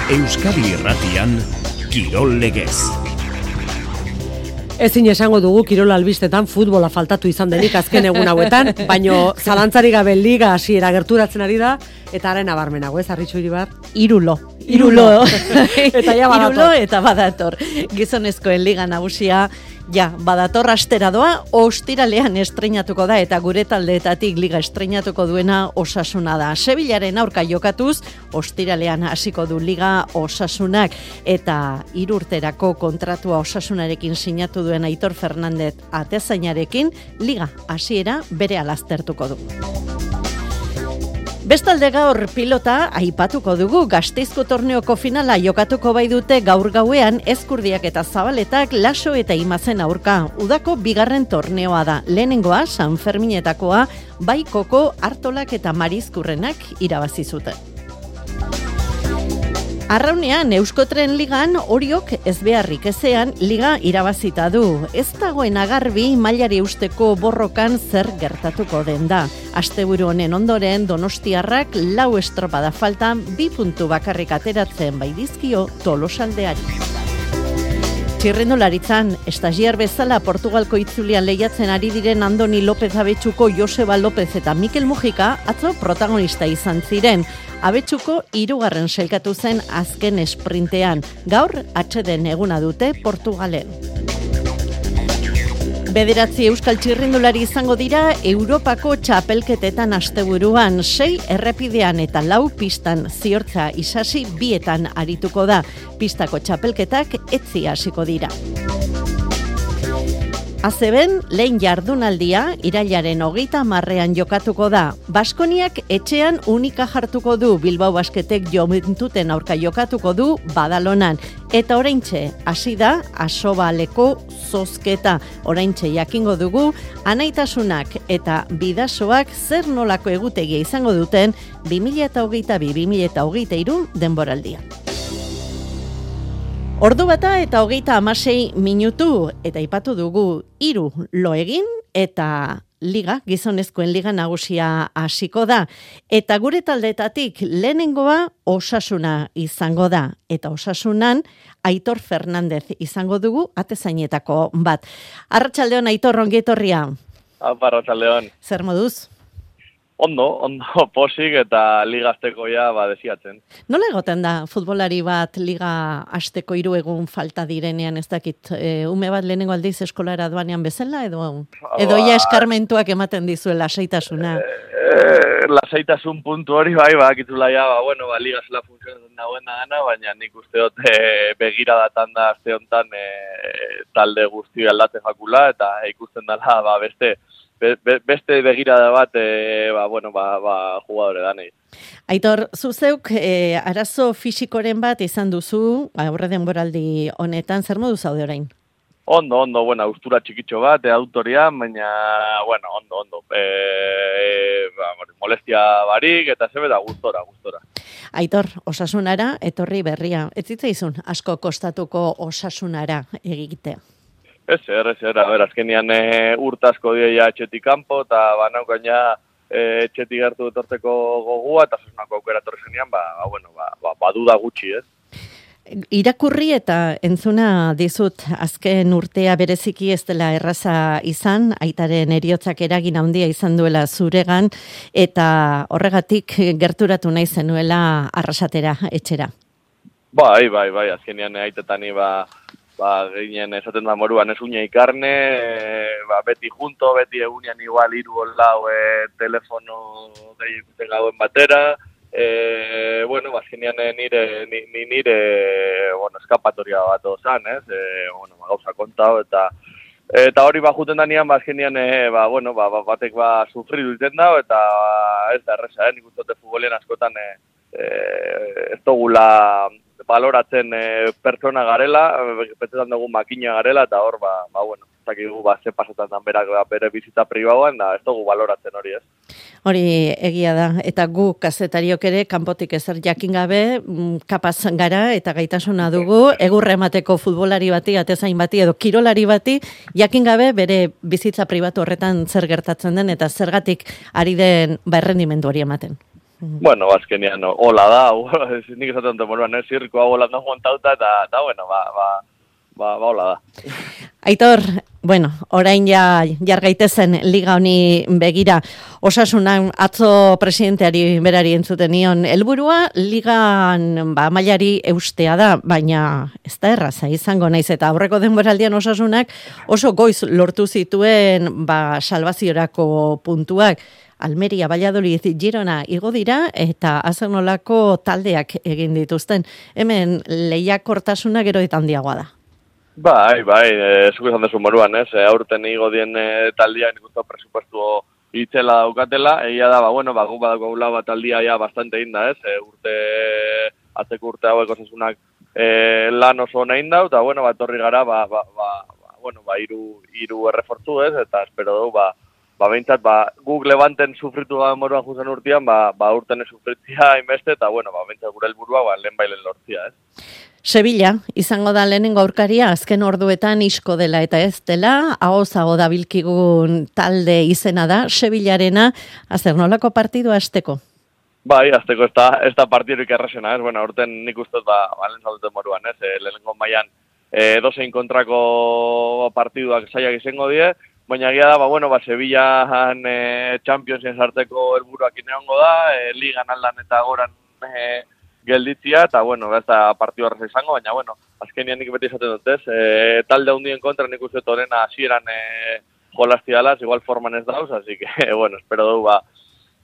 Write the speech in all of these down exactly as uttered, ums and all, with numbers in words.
Euskadi Irratian, Kirol Legez. Ezin esango dugu kirol albistetan futbola faltatu izan denik azken egun hauetan, baino zalantzarik gabe liga hasiera gerturatzen ari da, eta haren abarmenago, ez, Arritxu Iribar? Irulo. Irulo. eta ja badator. Irulo eta badator. Gizonezkoen liga nagusia, ja, badator astera doa, ostiralean estreinatuko da, eta gure taldeetatik liga estreinatuko duena Osasuna da. Sevillaren aurka jokatuz, ostiralean hasiko du liga Osasunak, eta hiru urterako kontratua Osasunarekin sinatu duen Aitor Fernandez atezainarekin, liga hasiera bere alaztertuko du. Bestalde gaur pilota aipatuko dugu. Gasteizko torneoko finala jokatuko bai dute gaur gauean Ezkurdiak eta Zabaletak Laso eta Imazen aurka. Udako bigarren torneoa da. Lehenengoa San Ferminetakoa Baikoko Artolak eta Marizkurrenak irabazi zuten. Arraunean, Euskotren ligan Oriok ez beharrik ezean liga irabazita du. Ez dagoen agarbi mailari eusteko borrokan zer gertatuko den da. Asteburu honen ondoren Donostiarrak lau estropada faltan bi puntu bakarrik ateratzen bai dizkio Tolosaldeari. Txirrindularitzan, estagiar bezala Portugalko itzulian lehiatzen ari diren Andoni López Abetxuko, Joseba López eta Mikel Mujika atzo protagonista izan ziren. Abetxuko hirugarren sailkatu zen azken esprintean. Gaur atseden eguna dute Portugalen. Bederatzi euskal txirrindulari izango dira Europako txapelketetan asteburuan, sei errepidean eta lau pistan. Ziortza Isasi bietan arituko da. Pistako txapelketak etzi hasiko dira. A C B:en lehen jardunaldia irailaren hogeita hamarrean jokatuko da. Baskoniak etxean Unika jartuko du, Bilbao Basketek Joventuten aurka jokatuko du Badalonan. Eta oraintxe hasi da Asobaleko zozketa. Oraintxe jakingo dugu Anaitasunak eta Bidasoak zer nolako egutegia izango duten bi mila hogeita bi bi mila hogeita hiru denboraldia. Ordu bata eta hogeita hamasei minutu, eta aipatu dugu hiru lo egin eta liga, gizonezkoen liga nagusia hasiko da. Eta gure taldeetatik lehenengoa Osasuna izango da. Eta Osasunan Aitor Fernandez izango dugu atezainetako bat. Arratsaldeon Aitor, ongi etorria. Apa, arratsaldeon. Zer moduz? Ondo, ondo posik eta liga azteko ja ba desiatzen. Nola egoten da futbolari bat liga asteko hiru egun falta direnean, ez dakit, e, ume bat lehenengo aldiz eskolara doanean bezala edo edo ja eskarmentuak ematen dizuen lasaitasuna? E, e, lasaitasun puntu hori bai, bakitula ja, ba, bueno, ba, liga zela funtzionatzen dagoena gana, baina nik uste dut e, begira datan da aste honetan e, talde guzti aldatzen jakula eta ikusten dela ba, beste Be, be, beste begirada bat, e, ba, bueno, ba, ba, jugadore danei. Aitor, zuzeuk e, arazo fisikoren bat izan duzu, aurre denboraldi honetan, zer modu zaude orain? Ondo, ondo, bueno, austura txikitxo bat, e, autorian, baina, bueno, ondo, ondo. E, e, ba, molestia barik, eta zebe da gustora, gustora. Aitor, Osasunara, etorri berria. Ez zitzaizun asko kostatuko Osasunara egitea? Ez, er, ez, er, ber, azkenian e, urtazko dira etxetik kanpo, eta banaukan ja e, etxetik gertu etortzeko gogua, eta Osasunako aukera etorri zenean, ba, ba, bueno, ba, ba, baduda gutxi, ez? Irakurri eta entzuna dizut azken urtea bereziki ez dela erraza izan, aitaren heriotzak eragin handia izan duela zuregan, eta horregatik gerturatu nahi zenuela arrasatera etxera. Bai, bai, bai, azkenian aitetani ba... Ba, ginen esaten da moruan ez uña ikarne, e, ba, beti junto, beti egunean igual hiru lau e, telefono gehiagute gauen batera, e, bueno, bazkenean nire, nire, nire, bueno, eskapatoria bat ozan, ez, e, bueno, ba, gauza kontao, eta eta hori ba juten danean, bazkenean, e, ba, bueno, ba, batek ba sufridu iten da, eta ez da erresa, eh, nik uste futbolean askotan, e, e, ez dugula baloratzen e, pertsona garela, pentsetan dugu makina garela, eta hor, ba, ba bueno, zakigu, ba, ze pasetan dan berak bere bizitza pribauan, da ez dugu baloratzen hori, ez. Hori egia da, eta gu kazetariok ere, kanpotik ezer jakin gabe, kapaz gara eta gaitasuna dugu, egurra emateko futbolari bati, atezain bati, edo kirolari bati, jakin gabe bere bizitza pribatu horretan zer gertatzen den, eta zergatik ari den ba errendimendu hori ematen. Bueno, azkenean, hola da, nik esaten dut moruan, eh, zirko hau hola da montauta, eta, eta bueno, ba, ba, ba, ba, hola da. Aitor, bueno, orain ja jargaitezen liga honi begira, Osasunan atzo presidenteari berari entzuten nion, helburua ligan ba, mailari eustea da, baina ez da erraza izango naiz, eta aurreko denboraldian Osasunak oso goiz lortu zituen ba, salvaziorako puntuak, Almeria, Valladolid, Girona igo dira eta azenolako taldeak egin dituzten. Hemen lehiakortasuna gero eta handiagoa da. Bai, bai, e, zuko izan desu moruan, ez? E, aurten igo dien e, taldia nik uste presupuestu itzela daukatela, egia da, ba, bueno, ba, gu badako gula bat taldia ja bastante inda, ez? E, urte, atzeko urte hauek Osasunak e, lan oso ona inda, eta, bueno, ba, torri gara, ba, ba, ba, ba, bueno, ba, iru, iru errefortzu, ez? Eta espero dugu, ba, ba, behintzat, ba, guk levanten sufritu gara moruan juzen urtean, ba, ba, urten sufritzia inbeste, eta, bueno, ba, behintzat gure helburua, ba, lehen bailen lortzia, ez? Sevilla, izango da lehenengo aurkaria, azken orduetan isko dela eta ez dela, ahozago dabilkigun talde izena da, Sevillarena, azer nolako partidua azteko? Bai, azteko ez da, ez da partidurik errasena, ez, bueno, urten nik uste, ba, balen zalduten moruan, ez, e, lehenengo mailan e, dozein kontrako partiduak zaiak izango die, baina gira da, ba, bueno, ba, Sevillaan e, Championsien sartzeko helburuak ineongo da, e, ligan aldan eta goran e, gelditzia, eta, bueno, ez da partidu horreza izango, baina, bueno, azkenian nik beti esaten dut, ez, e, talde hundien kontra nik uste torena hasieran e, jolaztialaz, igual forman ez dauz, así que, bueno, espero dugu, ba,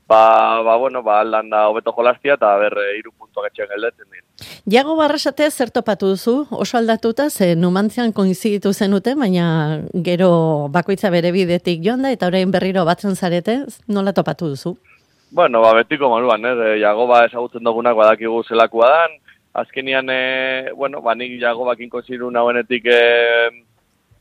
ba, ba, bueno, ba, aldan da hobeto jolaztia, eta ber, e, iru puntuak etxean geldetzen dira. Jago Barrasate zer topatu duzu, oso aldatuta, ze Numantzian koinziditu zenute, baina gero bakoitza bere bidetik joan da, eta orain berriro batzen zarete, nola topatu duzu? Bueno, ba, betiko moduan, eh? Jagoba ezagutzen dugunak badakigu zelakoa dan. Azkenian, eh, bueno, ba, nik Jagobakin konsideru nagoenetik eh,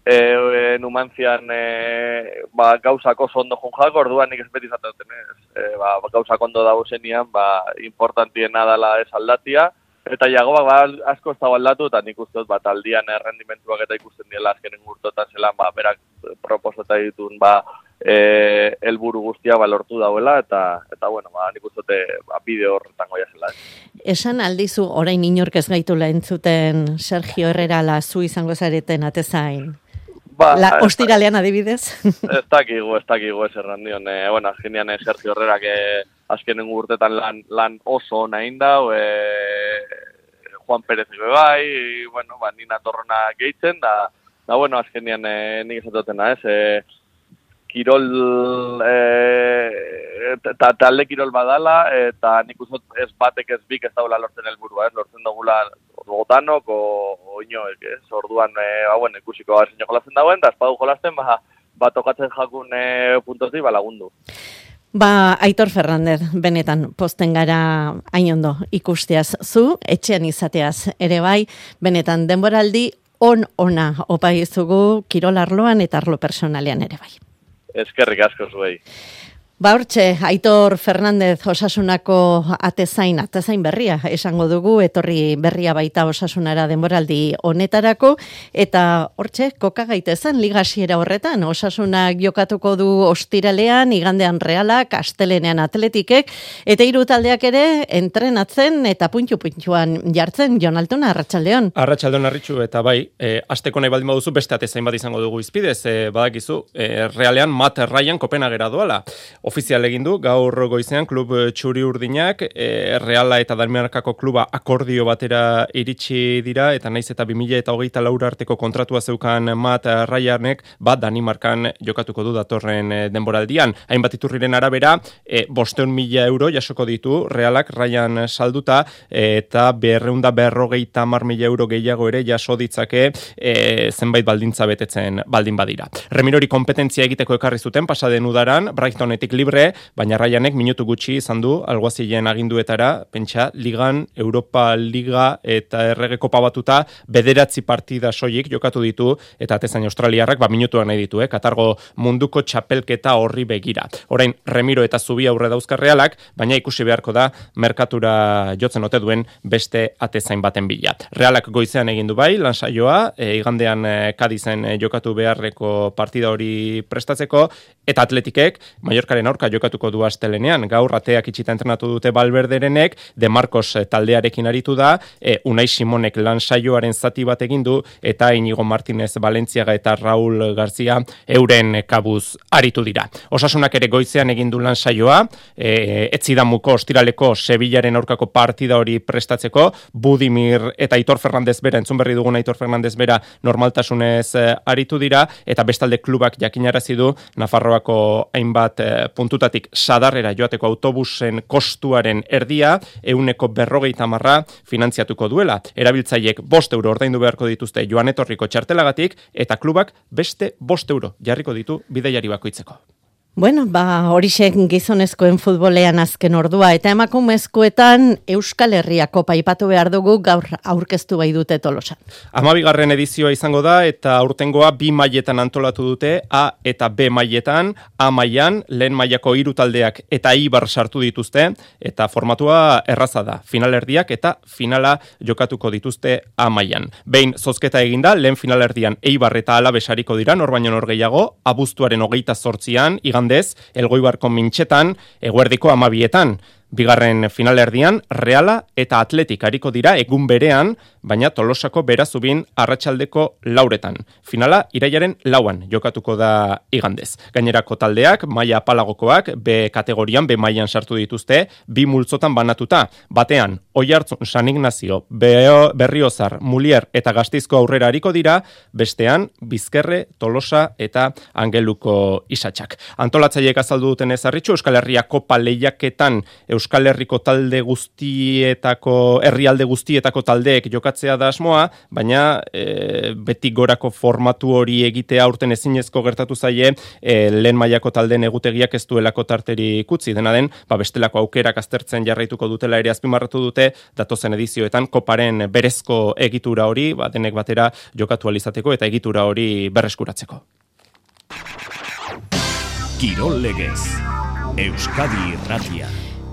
eh, Numantzian eh, ba, gauzak oso ondo junjak, orduan nik ez beti izaten ez. Eh, ba, gauzak ondo dago zenian, ba, importantiena dela ez aldatia. Eta Jagobak ba, asko ez dago aldatu, eta nik uste dut, ba, taldian errendimentuak eta ikusten diela azkenen urtotan zelan, ba, berak proposeta ditun, ba, eh helburu guztia ba lortu dauela eta eta bueno, ba nik uste ba bideo horretan goia zela. Esan aldizu orain inork ez gaitula entzuten Sergio Herrera la zu izango zareten atezain. Ba, la ostiralean adibidez. Ez dakigu, ez dakigu ez errandion. Eh, bueno, azkenean Sergio Herrerak eh, azkenen urtetan lan lan oso ona inda, eh Juan Pérez bai, bueno, ba Nina Torrona gehitzen da, da bueno, azkenean eh, nik esatotena, ez, eh kirol, eta talde kirol badala, eta nik uste ez batek ez bik ez daula lortzen helburua, ez, lortzen dugula gotanok, o inoek, ez, orduan, e, ba, bueno, ikusiko gara zein jolazen dagoen, eta espadu jolazen, ba, ba tokatzen jakun e, puntozi, ba, lagundu. Ba, Aitor Fernández, benetan posten gara hain ondo ikusteaz zu, etxean izateaz ere bai, benetan denboraldi on-ona opa izugu kirol arloan eta arlo personalean ere bai. Eskerrik asko zuei. Ba hortxe, Aitor Fernández Osasunako atezain, atezain berria, esango dugu, etorri berria baita Osasunara denboraldi honetarako, eta hortxe, koka gaitezen ligasiera horretan, Osasunak jokatuko du ostiralean, igandean Realak, astelenean Atletikek, eta hiru taldeak ere entrenatzen eta puntu-puntuan jartzen, Jon Altuna, Arratsaldeon. Arratsaldeon Arritxu, eta bai, e, asteko nahi baldin baduzu, beste atezain bat izango dugu izpidez, e, badakizu, e, Realean Matt Ryan Kopenhagera doala. Ofizial egin du, gaur goizean klub txuri urdinak, e, Reala eta Danimarkako kluba akordio batera iritsi dira, eta naiz eta bi mila hogeita lau arteko kontratua zeukan Matt Ryanek, bat Danimarkan jokatuko du datorren denboraldian. Hainbat iturriren arabera, e, bosteun mila euro jasoko ditu Realak Ryan salduta, e, eta berreunda berrogeita hamar mila euro gehiago ere jaso ditzake e, zenbait baldintza betetzen baldin badira. Remirori kompetentzia egiteko ekarri zuten pasaden udaran, Brightonetik libre, baina Ryanek minutu gutxi izan du alguazilen aginduetara, pentsa, Ligan, Europa Liga eta Errege Kopa batuta bederatzi partida soilik jokatu ditu, eta atezain australiarrak ba minutuak nahi ditu, eh? Katargo munduko txapelketa horri begira. Orain, Remiro eta Zubi aurre dauzka Realak, baina ikusi beharko da merkatura jotzen ote duen beste atezain baten bila. Realak goizean egin du bai, lansaioa, e, igandean e, Kadizen e, jokatu beharreko partida hori prestatzeko, eta Atletikek, Mallorcaren aurka jokatuko du astelenean. Gaur ateak itxita entrenatu dute Valverderenek, De Marcos taldearekin aritu da, e, Unai Simonek lan saioaren zati bat egin du, eta Inigo Martinez Valentziaga eta Raul Garzia euren kabuz aritu dira. Osasunak ere goizean egin du lan saioa, e, etzidamuko ostiraleko Sevillaren aurkako partida hori prestatzeko, Budimir eta Aitor Fernandez bera, entzun berri dugun Aitor Fernandez bera normaltasunez e, aritu dira, eta bestalde klubak jakinarazi du Nafarroako hainbat e, puntutatik sadarrera joateko autobusen kostuaren erdia, euneko berrogeita marra finantziatuko duela. Erabiltzaiek bost euro ordaindu beharko dituzte joan etorriko txartelagatik, eta klubak beste bost euro jarriko ditu bidaiari bakoitzeko. Bueno, ba, horixek gizonezkoen futbolean azken ordua, eta emakumezkoetan Euskal Herria Kopa aipatu behar dugu gaur aurkeztu bai dute Tolosan. Hamabigarren edizioa izango da, eta aurtengoa bi mailetan antolatu dute, A eta B mailetan, A mailan, lehen mailako hiru taldeak eta Eibar sartu dituzte, eta formatua erraza da, finalerdiak eta finala jokatuko dituzte A mailan. Behin zozketa eginda, lehen finalerdian Eibar eta Alaves ariko dira, nor baino nor gehiago, abuztuaren hogeita zortzian, igandez, Elgoibarko mintxetan, eguerdiko amabietan. Bigarren finalerdian, Reala eta Atletik ariko dira egun berean, baina Tolosako Berazubin arratsaldeko lauretan. Finala irailaren lauan jokatuko da igandez. Gainerako taldeak, maila apalagokoak, B kategorian, B mailan sartu dituzte, bi multzotan banatuta. Batean, Oiartzun, San Ignacio, Berriozar, Mulier eta Gasteizko aurrera ariko dira, bestean, Bizkerre, Tolosa eta Angeluko Isatxak. Antolatzaileek azaldu duten ezarritxu, Euskal Herria Kopa lehiaketan Euskal Herriko talde guztietako, herrialde guztietako taldeek jokatzea da asmoa, baina e, beti gorako formatu hori egitea aurten ezinezko gertatu zaie, e, lehen mailako taldeen egutegiak ez duelako tarteri kutzi, dena den, ba bestelako aukerak aztertzen jarraituko dutela ere azpimarratu dute, datozen edizioetan koparen berezko egitura hori, ba, denek batera jokatu alizateko eta egitura hori berreskuratzeko. Kirol Legez, Euskadi Irratia.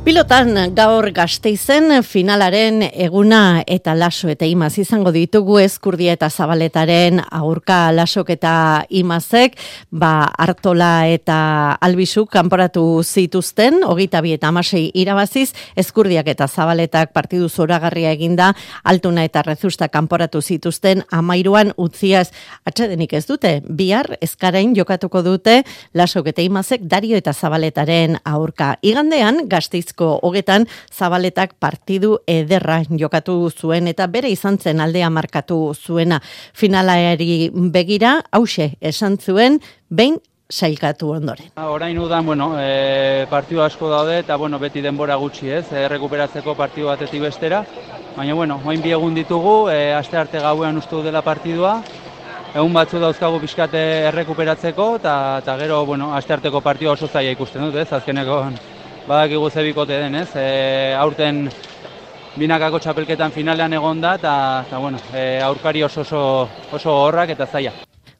Pilotan gaur Gasteizen finalaren eguna eta Laso eta Imaz izango ditugu Ezkurdia eta Zabaletaren aurka Lasok eta Imazek, ba Artola eta Albizuk kanporatu zituzten, hogeita bi eta hamasei irabaziz, Ezkurdiak eta Zabaletak partidu zoragarria eginda, Altuna eta Rezusta kanporatu zituzten hamairuan utziaz. Atsedenik ez dute, bihar Ezkarain jokatuko dute Lasok eta Imazek Dario eta Zabaletaren aurka. Igandean Gasteizko hogetan Zabaletak partidu ederra jokatu zuen eta bere izan zen aldea markatu zuena. Finalari begira, hause esan zuen, behin sailkatu ondoren. Orain udan, bueno, e, partidu asko daude eta bueno, beti denbora gutxi ez, e, rekuperatzeko partidu batetik bestera. Baina, bueno, oin bi egun ditugu, e, aste arte gauean ustu dela partidua. Egun batzu dauzkagu pixkate errekuperatzeko eta gero, bueno, aste arteko partidua oso zaila ikusten dut ez, azkeneko badakigu ze bikote den, ez? E, aurten binakako txapelketan finalean egon da, eta bueno, e, aurkari oso oso oso horrak eta zaila.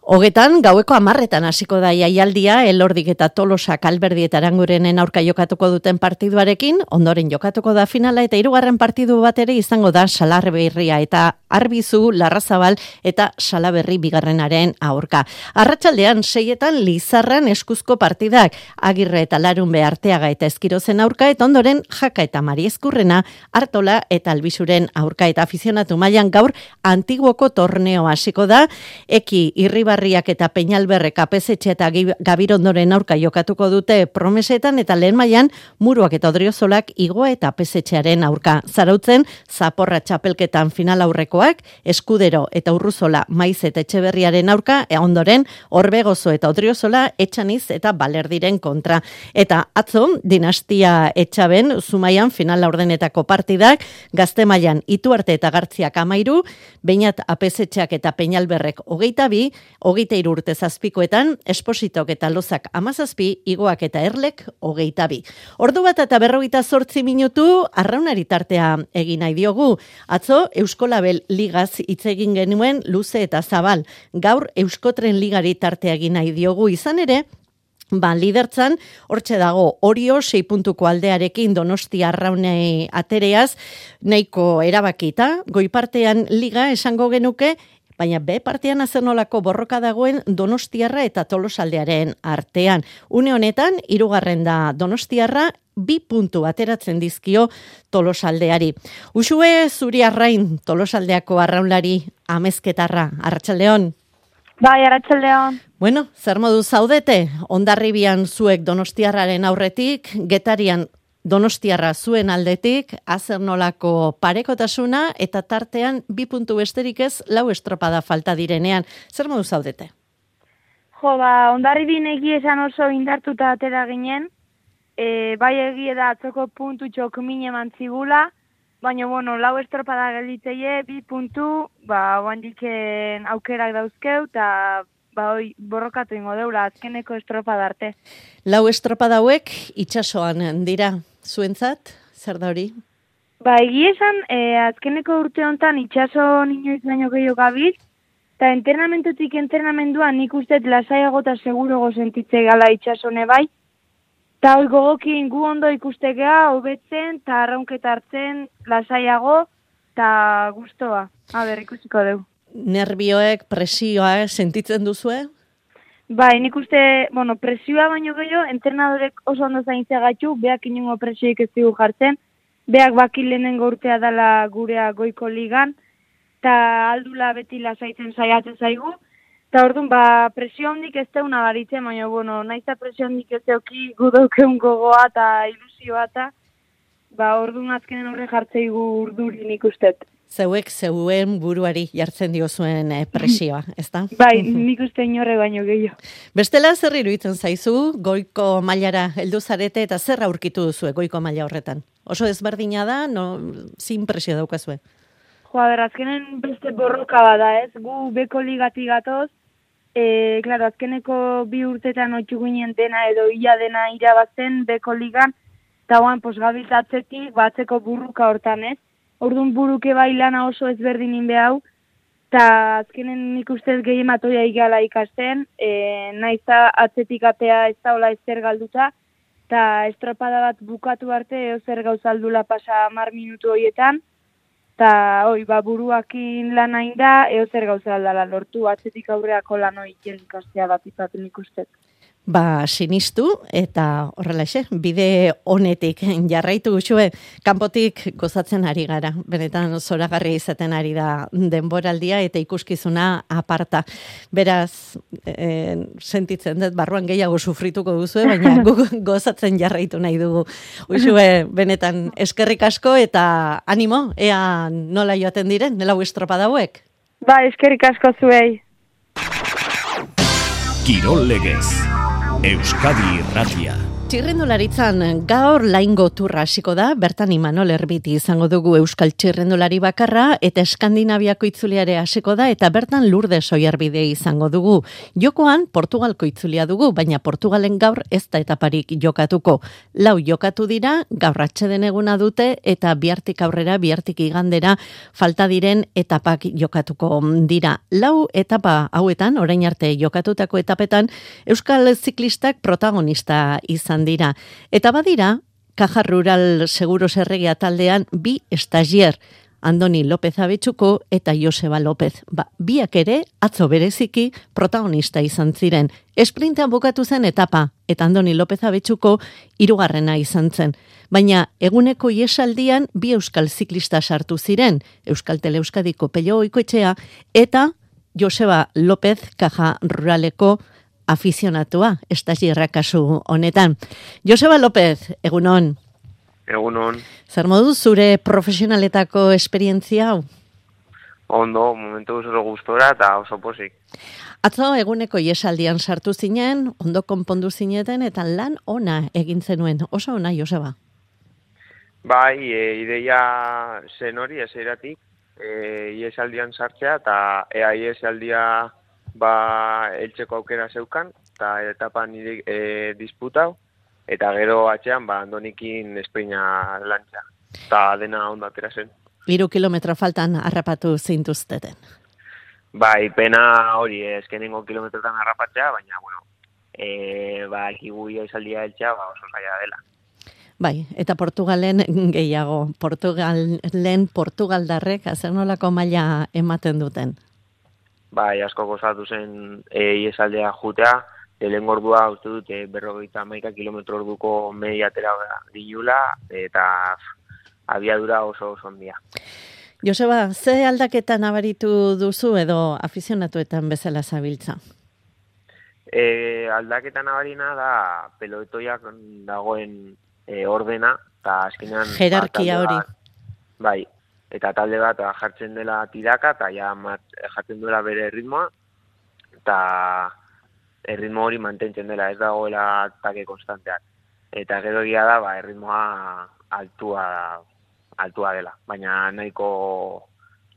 Hogetan, gaueko amarretan hasiko da jaialdia, Elordik eta Tolosak Alberdi eta Arangurenen aurka jokatuko duten partiduarekin, ondoren jokatuko da finala eta hirugarren partidu bat ere izango da Salarberria eta Arbizu, Larrazabal eta Salaberri bigarrenaren aurka. Arratsaldean seietan Lizarran eskuzko partidak, Agirre eta Larunbe Arteaga eta Eskirozen aurka, eta ondoren Jaka eta Mariezkurrena, Artola eta Albizuren aurka, eta afizionatu mailan gaur Antiguoko torneo hasiko da, Eki Irribarriak eta Peñalberrek Apezetxe eta Gabirondoren aurka jokatuko dute Promesetan, eta lehen mailan Muruak eta Odriozolak Igoa eta Apezetxearen aurka. Zarautzen, Zaporra txapelketan final aurrekoak, Eskudero eta Urruzola Maiz eta Etxeberriaren aurka, e ondoren Orbegozo eta Odriozola Etxaniz eta Balerdiren kontra. Eta atzo, Dinastia Etxaben, Zumaian final laurdenetako partidak, Gazte mailan Ituarte eta Gartziak amairu, Beñat Apezetxeak eta Peñalberrek hogeita bi, hogeita hiru urte zazpikoetan, Espositok eta Lozak amazazpi, Igoak eta Erlek hogeita bi. Ordu bat eta berrogeita zortzi minutu, arraunari tartea egin nahi diogu. Atzo, Euskolabel ligaz hitz egin genuen luze eta zabal. Gaur, Euskotren ligari tartea egin nahi diogu izan ere, Ba, lidertzan, hortxe dago, Orio sei puntuko aldearekin Donostia arraunei atereaz, nahiko erabakita, goipartean liga esango genuke, baina B partean azernolako borroka dagoen Donostiarra eta Tolosaldearen artean. Une honetan, hirugarren da Donostiarra, bi puntu ateratzen dizkio Tolosaldeari. Uxue zuri arrain Tolosaldeako arraunlari amezketarra, Arratsaldeon. Bai, Arratsaldeon. Bueno, zer modu zaudete? Hondarribian zuek Donostiarraren aurretik, Getarian Donostiarra zuen aldetik, azernolako parekotasuna eta tartean bi puntu besterik ez lau estropada falta direnean. Zer modu zaudete? Jo, ba, Hondarribin egia esan oso indartuta atera ginen, e, bai egia da atzoko puntu txok mine mantzigula, baina, bueno, lau estropada gelditzeie, bi puntu, ba, oandiken aukerak dauzkeu, eta ba, oi, borrokatu ingo deula, azkeneko estropada arte. Lau estropada hauek itsasoan dira, zuentzat, zer da hori? Ba, egia esan, e, azkeneko urte honetan itsaso inoiz baino gehiago gabiz, eta entrenamentutik entrenamenduan nik uste lasaiago eta segurogo sentitze gala itsasone bai, eta hoi gogokin gu ondo ikustegea, hobetzen, eta arraunketa hartzen, lasaiago, eta gustoa. A ber, ikusiko dugu. Nervioek, presioa sentitzen duzue? Bai, nik uste, bueno, presioa baino gehiago, entrenadorek oso ondo zaintzea gaitu, beak inungo presioik ez digu jartzen, beak baki lehenengo urtea dela gurea goiko ligan, eta aldula beti lasaitzen saiatzen zaigu, eta orduan, ba, presio hondik ez teuna baritzen, baina, bueno, nahiz eta presio hondik ez teuki gudaukeun gogoa eta ilusioa eta, ba, orduan azkenen horre jartzeigu urduri nik ustet. Zeuek zeuen buruari jartzen diozuen eh, presioa, ezta? Bai, nik uste inorre baino gehiago. Bestela zer iruditzen zaizu, goiko mailara heldu zarete eta zer aurkitu duzue goiko maila horretan? Oso ezberdina da, no, zin presio daukazue? Jo, ber, azkenen beste borroka bada, ez? Gu beko ligatik gatoz, e, klaro, azkeneko bi urtetan otxu ginen dena edo ia dena irabazten beko ligan, eta guan, pos, gabiltatzetik, batzeko burruka hortan, ez? Orduan buruke bai lana oso ezberdinin behau, eta azkenen nik ustez gehien matoia igala ikasten, e, nahiza atzetik atea ez daula ezer galduta, eta estropada bat bukatu arte eo zer gauzaldula pasa hamar minutu horietan, eta hoi, ba, buruakin lan hain da, eo zer gauzaldala lortu, atzetik aurreako lan hoi ikastea bat ipatu nik ustez. Ba, sinistu eta horrelaxe, bide honetik jarraitu gutxue, kanpotik gozatzen ari gara. Benetan zoragarri izaten ari da denboraldia eta ikuskizuna aparta. Beraz, e, sentitzen dut barruan gehiago sufrituko duzu, baina gu gozatzen jarraitu nahi dugu. Uxue, benetan eskerrik asko eta animo, ea nola joaten diren, nela estropada hauek? Ba, eskerrik asko zuei. Kirol Legez. Euskadi Irratia. Txirrendularitzan gaur laingo turra hasiko da, bertan Imanol Erbiti izango dugu euskal txirrendulari bakarra eta Eskandinaviako itzuliare hasiko da eta bertan Lourdes Oiarbide izango dugu. Jokoan Portugalko itzulia dugu, baina Portugalen gaur ez da etaparik jokatuko. Lau jokatu dira, gaur atxeden eguna dute eta bihartik aurrera, bihartik igandera falta diren etapak jokatuko dira. Lau etapa hauetan, orain arte jokatutako etapetan, euskal ziklistak protagonista izan dira. Eta badira, Caja Rural Seguros Erregia taldean bi estagier, Andoni López Abetxuko eta Joseba López. Ba, biak ere, atzo bereziki, protagonista izan ziren. Esprintean bukatu zen etapa, eta Andoni López Abetxuko hirugarrena izan zen. Baina, eguneko iesaldian bi euskal ziklista sartu ziren, Euskal Teleuskadiko Pello Oikoetxea, eta Joseba López Caja Ruraleko afizionatua, estagierra kasu honetan. Joseba López, egunon. Egunon. Zer modu zure profesionaletako esperientzia hau? Ondo, momentu oso gustora eta oso posik. Atzo eguneko iesaldian sartu zinen, ondo konpondu zineten eta lan ona egin zenuen. Oso ona, Joseba? Bai, e, ideia zen hori, ezeiratik, e, iesaldian sartzea eta ea iesaldia ba, eltzeko aukera zeukan, eta etapan nire e, disputau, eta gero atxean, ba, Andonikin esprina lantza, eta dena ondo atera zen. Hiru kilometro faltan harrapatu zintuzteten. Bai, pena hori, eskenengo kilometrotan harrapatzea, baina, bueno, e, ba, ekiguia izaldia eltzea, ba, oso zaila dela. Bai, eta Portugalen gehiago, Portugalen Portugaldarrek, azer nolako maila ematen duten? bai, asko gozatu zen e, iesaldea jutea, lehen ordua uste dut e, berrogeita hamaika kilometro orduko media atera dinula, eta abiadura oso oso handia. Joseba, ze aldaketa nabaritu duzu edo afizionatuetan bezala zabiltza? E, aldaketa nabarina da pelotoiak dagoen e, ordena, eta azkenean... Jerarkia hori. Bai, eta talde bat jartzen dela tiraka, eta ja mat, jartzen duela bere ritmoa, eta erritmo hori mantentzen dela, ez dagoela atake konstanteak. Eta gero egia da, ba, erritmoa altua, altua dela, baina nahiko,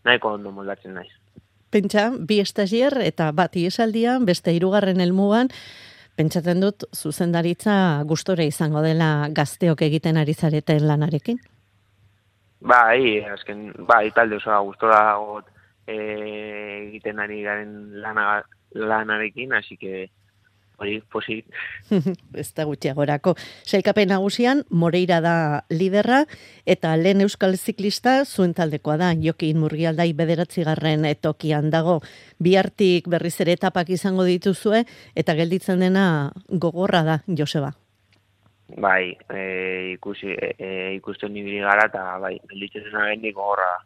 nahiko ondo moldatzen naiz. Pentsa, bi estagier eta bat iesaldian, beste hirugarren helmugan, pentsatzen dut zuzendaritza gustore izango dela gazteok egiten ari zareten lanarekin? Bai, azken, bai, talde osoa gustora got e, egiten ari garen lana, lanarekin, hasi que hori posit. Ez da gutxiagorako. Sailkapen nagusian, Moreira da liderra, eta lehen euskal ziklista zuen taldekoa da, Jokin Murgialdai bederatzigarren tokian dago. Bihartik berriz ere etapak izango dituzue, eta gelditzen dena gogorra da, Joseba. Bai, e, ikusi, e, e, ikusten ibili gara, eta bai, gelditzen dena gendik gogorra da.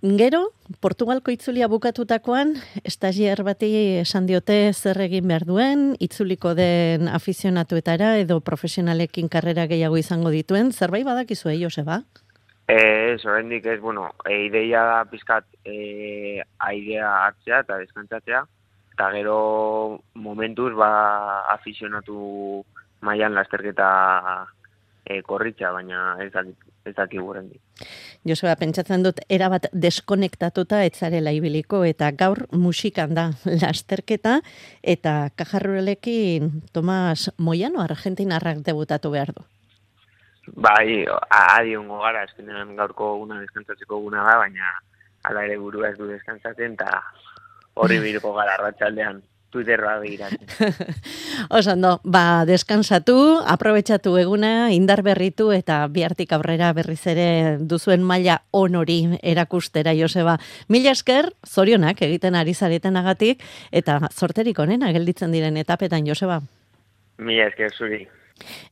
Gero, Portugalko itzulia bukatutakoan, estagier bati esan diote zer egin behar duen, itzuliko den afizionatuetara edo profesionalekin karrera gehiago izango dituen, zerbait badakizu eh, Joseba? Ez, oraindik ez, bueno, e, ideia da pizkat e, aidea hartzea eta deskantzatzea, eta gero momentuz ba afizionatu mailan lasterketa e, korritza, baina ez dakit. Ez daki gurendik. Joseba, pentsatzen dut, erabat deskonektatuta etzarela ibiliko, eta gaur musikan da lasterketa, eta Cajarruelekin Tomas Moyano, argentinarrak debutatu behar du. Bai, adiongo gara, eskenean gaurko guna deskantzatzeko guna da, baina ala ere burua ez du deskantzatzen, eta horri birko gara arratsaldean. Twitterra begiratzen. Osando, ba, deskansatu, aprobetxatu eguna, indar berritu eta bihartik aurrera berriz ere duzuen maila onori erakustera, Joseba. Mila esker, zorionak egiten ari zaretenagatik eta zorterik onena gelditzen diren etapetan, Joseba. Mila esker zuri.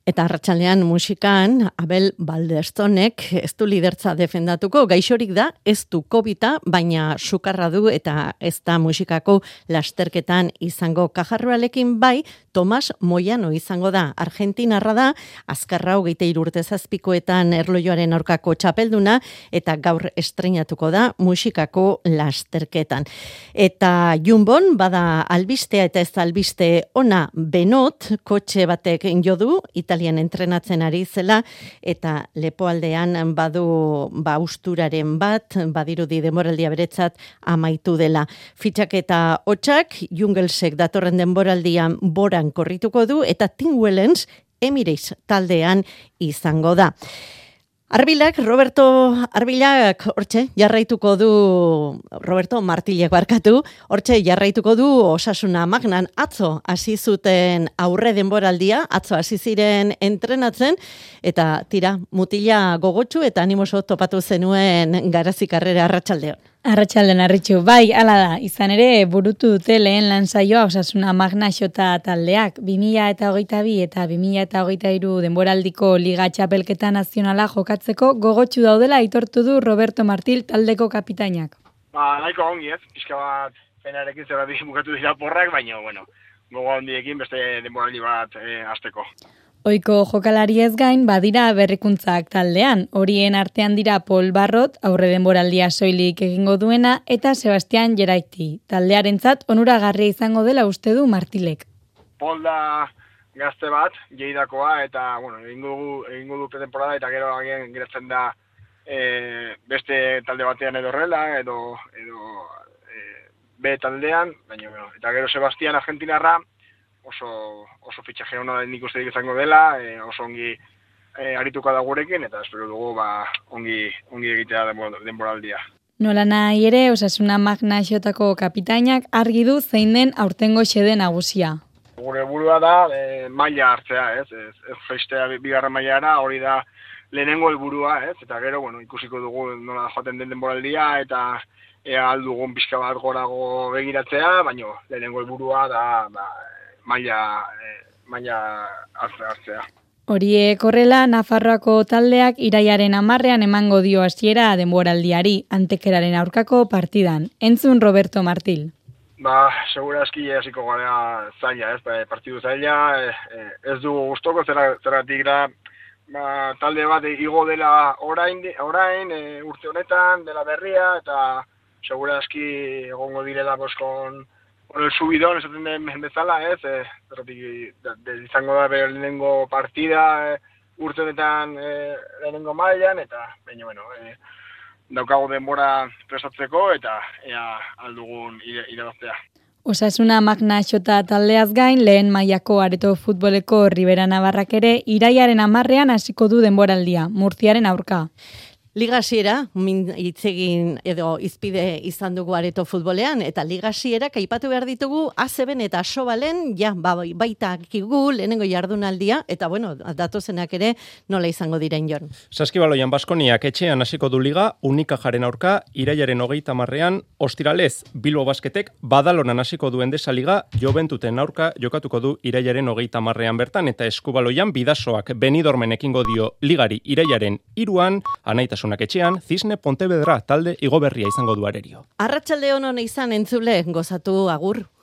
Eta arratsaldean musikan Abel Baldestonek ez du lidertza defendatuko, gaixorik da, ez du kobita, baina sukarra du eta ez da musikako lasterketan izango. Cajarrualekin bai, Tomas Moyano izango da, argentinarra da, azkarra hogeita hiru urte zazpikoetan erlojoaren aurkako txapelduna, eta gaur estreinatuko da musikako lasterketan. Eta Jumbon, bada albistea eta ez albiste ona Benot, kotxe batek jodu, Italian entrenatzen ari zela, eta lepoaldean badu ba usturaren bat, badirudi denboraldia beretzat amaitu dela. Fitxaketa hotxak, Jungelsek datorren denboraldian boran korrituko du, eta Tim Wellens Emirates taldean izango da. Arbilak, Roberto Arbilak, hortxe, jarraituko du, Roberto Martilek barkatu, hortxe, jarraituko du Osasuna Magnan atzo hasi zuten aurre denboraldia, atzo hasi ziren entrenatzen, eta tira, mutila gogotsu eta animoso topatu zenuen Garazi karrera arratsaldeon. Arratsalden arritxu, bai, hala da, izan ere burutu dute lehen lan saioa Osasuna Magna Xota taldeak, bi mila hogeita bi eta bi mila hogeita hiru denboraldiko Liga Txapelketa Nazionala jokatzeko gogotsu daudela aitortu du Roberto Martil taldeko kapitainak. Ba, nahiko ongi ez, pixka bat penarekin zergatik bukatu dira porrak, baina, bueno, gogo handiekin beste denboraldi bat e, hasteko. Oiko jokalari ez gain, badira berrikuntzak taldean. Horien artean dira Paul Barrot, aurre denboraldia soilik egingo duena, eta Sebastian Geraiti. Taldearentzat onuragarria izango dela uste du Martilek. Paul da gazte bat, Jeidakoa, eta, bueno, egingo du, egingo du pretemporada, eta gero agian geratzen da e, beste talde batean edo horrela, edo, edo e, B taldean, baina, bueno, eta gero Sebastian Argentinarra, oso oso fitxaje ona nik uste izango dela, e, oso ongi e, arituko da gurekin, eta espero dugu ba, ongi, ongi egitea denboraldia. Nola nahi ere, Osasuna Magna Xotako kapitainak argi du zein den aurtengo xede nagusia. Gure burua da e, maila hartzea, ez? Ez, ez jaistea bigarren mailara, hori da lehenengo helburua, ez? Eta gero, bueno, ikusiko dugu nola joaten den denboraldia eta ea aldugun pixka bat gorago begiratzea, baino lehenengo helburua da ba, maila, e, maila hartzea. Horiek horrela, Nafarroako taldeak iraiaren hamarrean emango dio hasiera denboraldiari, Antekeraren aurkako partidan. Entzun Roberto Martil. Ba, segura eski hasiko gara zaila, ez, partidu zaila, ez dugu gustoko zergatik da, ba, talde bat igo dela orain, orain e, urte honetan, dela berria, eta segura eski egongo direla boskon el subidon, esaten den bezala, ez, e, zergatik izango da bere lehenengo partida, e, urte honetan e, lehenengo mailan, eta baina, bueno, e, daukago denbora prestatzeko eta ea aldugun irabaztea. Osasuna Magna Xota taldeaz gain, lehen mailako areto futboleko Ribera Navarrak ere iraiaren hamarrean hasiko du denboraldia, Murtziaren aurka. Ligasiera, hitzegin edo izpide izan dugu areto futbolean, eta ligasiera aipatu behar ditugu A C B eta Asobalen, ja, ba, baita kigu lehenengo jardunaldia, eta bueno, datozenak ere nola izango diren Jon. Saskibaloian Baskoniak etxean hasiko du liga, Unikajaren aurka, irailaren hogeita hamarrean, ostiralez, Bilbo Basketek Badalonan hasiko du Endesa Liga, Joventuten aurka jokatuko du irailaren hogeita hamarrean bertan, eta Eskubaloian Bidasoak Benidormen ekingo dio ligari irailaren hiruan, Anaita etxean, Cisne Pontevedra talde igoberria izango du arerio. Arratsalde on izan entzule, gozatu agur.